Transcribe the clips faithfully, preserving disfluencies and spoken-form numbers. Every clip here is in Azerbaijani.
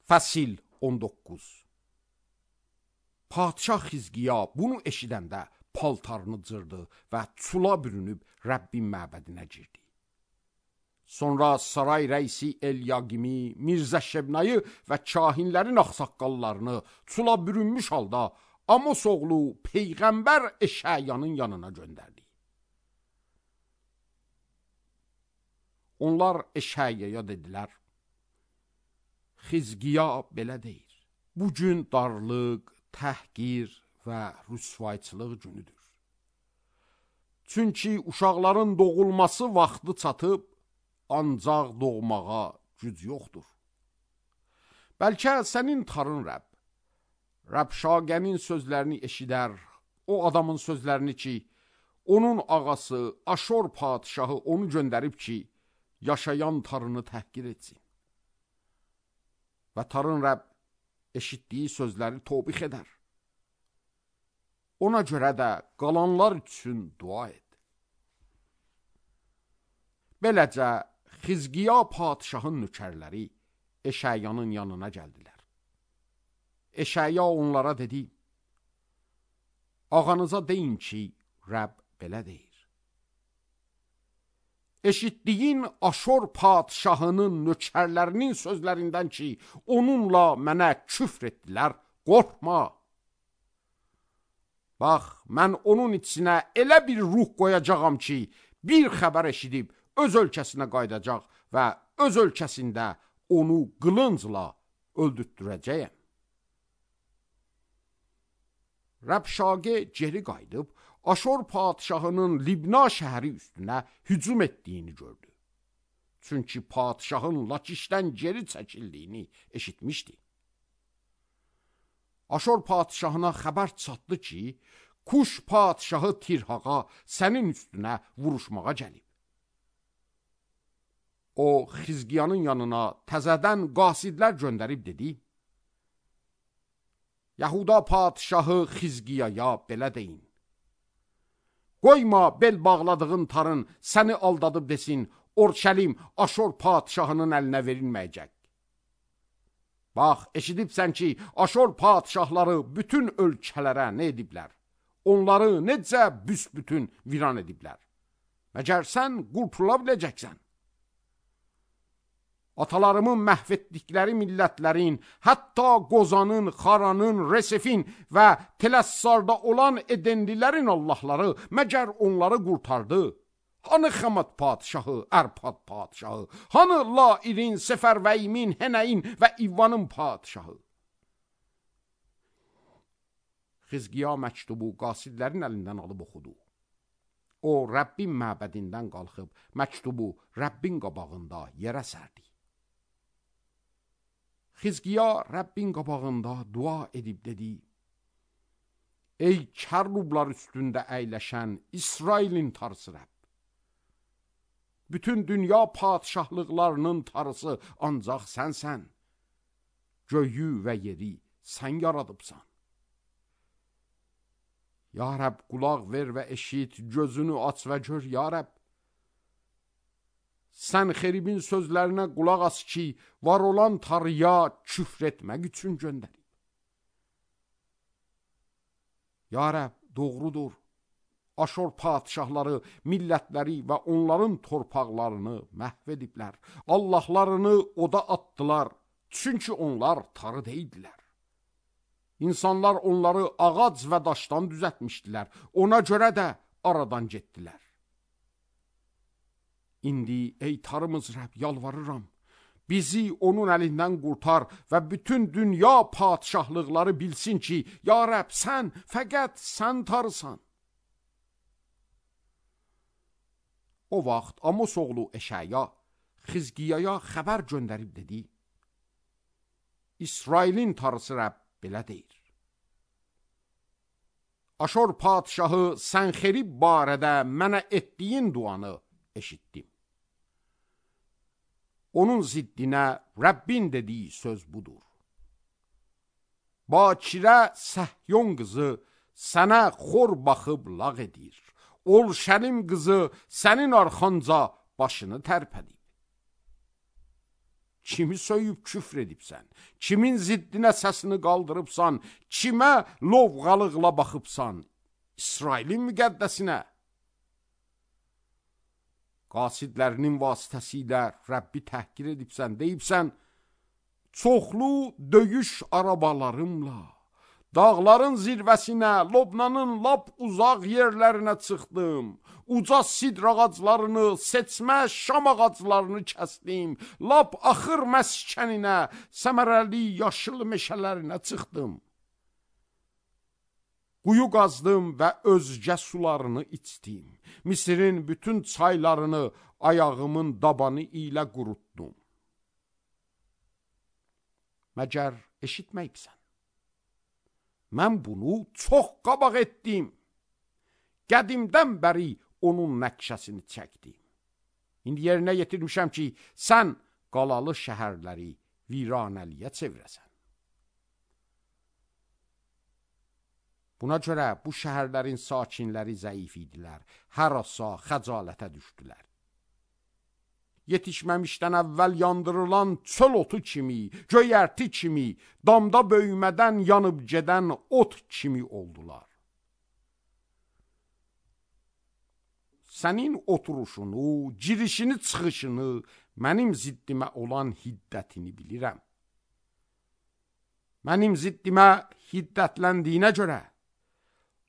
Fəsil on doqquz. Padşah Xizqiya bunu eşidəndə paltarını cırdı və çula bürünüb Rəbbin məbədinə girdi. Sonra saray rəisi Elyaqimi, Mirzə Şebnayı və kahinlərin ağsaqqallarını çula bürünmüş halda Amos oğlu Peyğəmbər Eşəyanın yanına göndərdi. Onlar Eşəyaya dedilər: Xizqiya belə deyir: Bugün darlıq, təhqir və rüsvayçılıq günüdür. Çünki uşaqların doğulması vaxtı çatıb, ancaq doğmağa güc yoxdur. Bəlkə sənin tarın Rəbb, Rəbşagənin sözlərini eşidər, o adamın sözlərini ki, onun ağası Aşor padişahı onu göndərib ki, yaşayan tarını təhqir etsin. Və tarın Rəbb eşitdiyi sözləri tobix edər. Ona görə də qalanlar üçün dua et. Beləcə, Xizqiya padişahın nökərləri Eşəyanın yanına gəldilər. Eşəya onlara dedi: Ağanıza deyin ki, Rəbb belə deyir. Eşitdiyin Aşor padişahının nökərlərinin sözlərindən ki, onunla mənə küfr etdilər, qorxma. Bax, mən onun içinə elə bir ruh qoyacağam ki, bir xəbər eşidib öz ölkəsinə qaydacaq və öz ölkəsində onu qılıncla öldürtdürəcəyəm. Rəbşagə geri qayıdıb, Aşor padişahının Libna şəhəri üstünə hücum etdiyini gördü. Çünki padişahın Lakişdən geri çəkildiyini eşitmişdi. Aşor padişahına xəbər çatdı ki, Kuş padişahı Tirhaqa sənin üstünə vuruşmağa gəlib. O, Xizqiyanın yanına təzədən qasidlər göndərib dedi: Yahuda padişahı Xizqiyaya belə deyin: Qoyma bel bağladığın tarın səni aldadıb desin, Orşəlim Aşor padişahının əlinə verilməyəcək. Bax, eşidibsən ki, Aşor padişahları bütün ölkələrə nə ediblər? Onları necə büsbütün viran ediblər? Məgər sən qurtula biləcəksən? Atalarımın məhv etdikləri millətlərin, hətta Qozanın, Xaranın, Resefin və Tələssarda olan Edenlilərin Allahları məgər onları qurtardı? Hanı Xəmət padişahı, Ərpad padişahı? Hanı Lairin, Sefərvəyimin, Hənəyin və İvvanın padişahı? Xizqiya məktubu qasidlərin əlindən alıb oxudu. O, Rəbbin məbədindən qalxıb, məktubu Rəbbin qabağında yerə sərdi. Xizqiya Rəbbin qabağında dua edib dedi: Ey kərrublar üstündə əyləşən İsrailin tarısı Rəbb! Bütün dünya padişahlıqlarının tarısı ancaq sənsən. Göyü və yeri sən yaradıbsan. Ya Rəbb, qulaq ver və eşit, gözünü aç və gör, ya Rəbb. Sən xeribin sözlərinə qulaq as ki, var olan tarıya küfr etmək üçün göndərib. Ya Rəbb, doğrudur. Aşor padişahları, millətləri və onların torpaqlarını məhv ediblər. Allahlarını oda atdılar, çünki onlar tarı deyildilər. İnsanlar onları ağac və daşdan düzətmişdilər, ona görə də aradan getdilər. İndi, ey tarımız Rəbb, yalvarıram, bizi onun əlindən qurtar və bütün dünya padişahlıqları bilsin ki, ya Rəbb, sən, fəqət sən tarısan. O vaxt Amos oğlu Eşəya Xizqiyaya xəbər göndərib dedi: İsrailin tarısı Rəbb belə deyir: Aşor padişahı Sənxerib barədə mənə etdiyin duanı eşitdim. Onun ziddinə Rəbbin dediyi söz budur: Bakirə Səhyon qızı sənə xor baxıb lağ edir. Orşəlim qızı sənin arxanca başını tərpədib. kimi söyüb küfr edibsən, kimin ziddinə səsini qaldırıbsan, kimə lovğalıqla baxıbsan, İsrailin müqəddəsinə. Qasidlərinin vasitəsilə Rəbbi təhqir edibsən, deyibsən, çoxlu döyüş arabalarımla, dağların zirvəsinə, Lobnanın lap uzaq yerlərinə çıxdım. Uca sidr ağaclarını, seçmə şam ağaclarını kəsdim. Lap axır məskəninə, səmərəli yaşıl meşələrinə çıxdım. Quyu qazdım və özgə sularını içdim. Misirin bütün çaylarını ayağımın dabanı ilə qurutdum. Məgər eşitməyibsən? Mən bunu çox qabaq etdim. Qədimdən bəri onun nəqşəsini çəkdim. İndi yerinə yetirmişəm ki, sən qalalı şəhərləri viranəliyə çevirəsən. Buna görə bu şəhərlərin sakinləri zəif idilər, hərasa xəcalətə düşdülər. Yetişməmişdən əvvəl yandırılan çöl otu kimi, göyərti kimi, damda böyümədən yanıb gedən ot kimi oldular. Sənin oturuşunu, girişini, çıxışını, mənim ziddimə olan hiddətini bilirəm. Mənim ziddimə hiddətləndiyinə görə,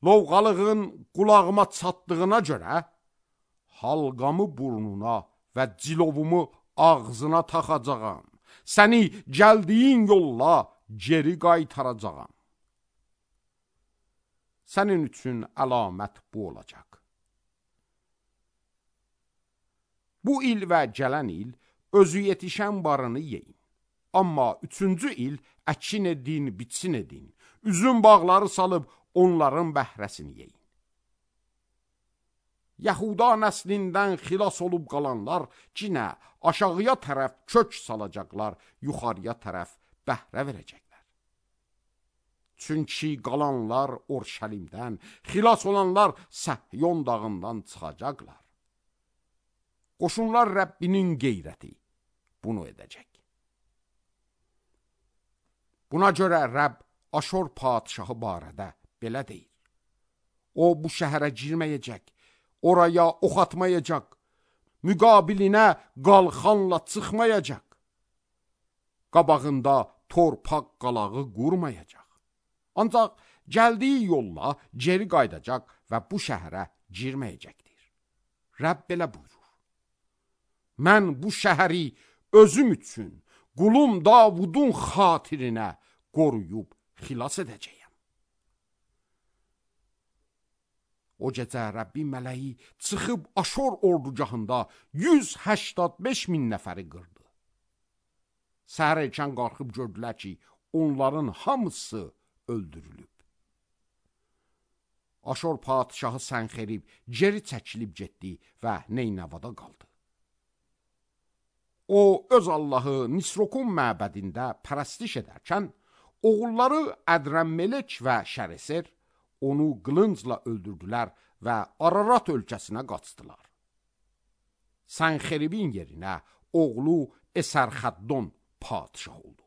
lovğalığın qulağıma çatdığına görə, halqamı burnuna və cilovumu ağzına taxacağam. Səni gəldiyin yolla geri qaytaracağam. Sənin üçün əlamət bu olacaq. Bu il və gələn il özü yetişən barını yeyin. Amma üçüncü il əkin edin, bitsin edin. Üzüm bağları salıb onların bəhrəsini yeyin. Yahuda nəslindən xilas olub qalanlar cinə aşağıya tərəf kök salacaqlar, yuxarıya tərəf bəhrə verəcəklər. Çünki qalanlar Orşəlimdən, xilas olanlar Səhyon dağından çıxacaqlar. Qoşunlar Rəbbinin qeyrəti bunu edəcək. Buna görə Rəbb Aşor padişahı barədə belə deyir. O bu şəhərə girməyəcək, oraya ox atmayacaq, müqabilinə qalxanla çıxmayacaq, qabağında torpaq qalağı qurmayacaq. Ancaq gəldiyi yolla geri qaydacaq və bu şəhərə girməyəcəkdir. Rəbb belə buyurur. Mən bu şəhəri özüm üçün, qulum Davudun xatirinə qoruyub xilas edəcəyəm. O gecə Rəbbin mələyi çıxıb Aşor ordugahında yüz səksən beş min nəfəri qırdı. Səhər erkən qalxıb gördülər ki, onların hamısı öldürülüb. Aşor padişahı Sənxerib geri çəkilib getdi və Neynəvada qaldı. O, öz Allahı Nisrokun məbədində pərəstiş edərkən, oğulları Ədrəmmelek və Şəreser onu qılıncla öldürdülər və Ararat ölkəsinə qaçdılar. Sənxeribin yerinə oğlu Əsərxəddon padişah oldu.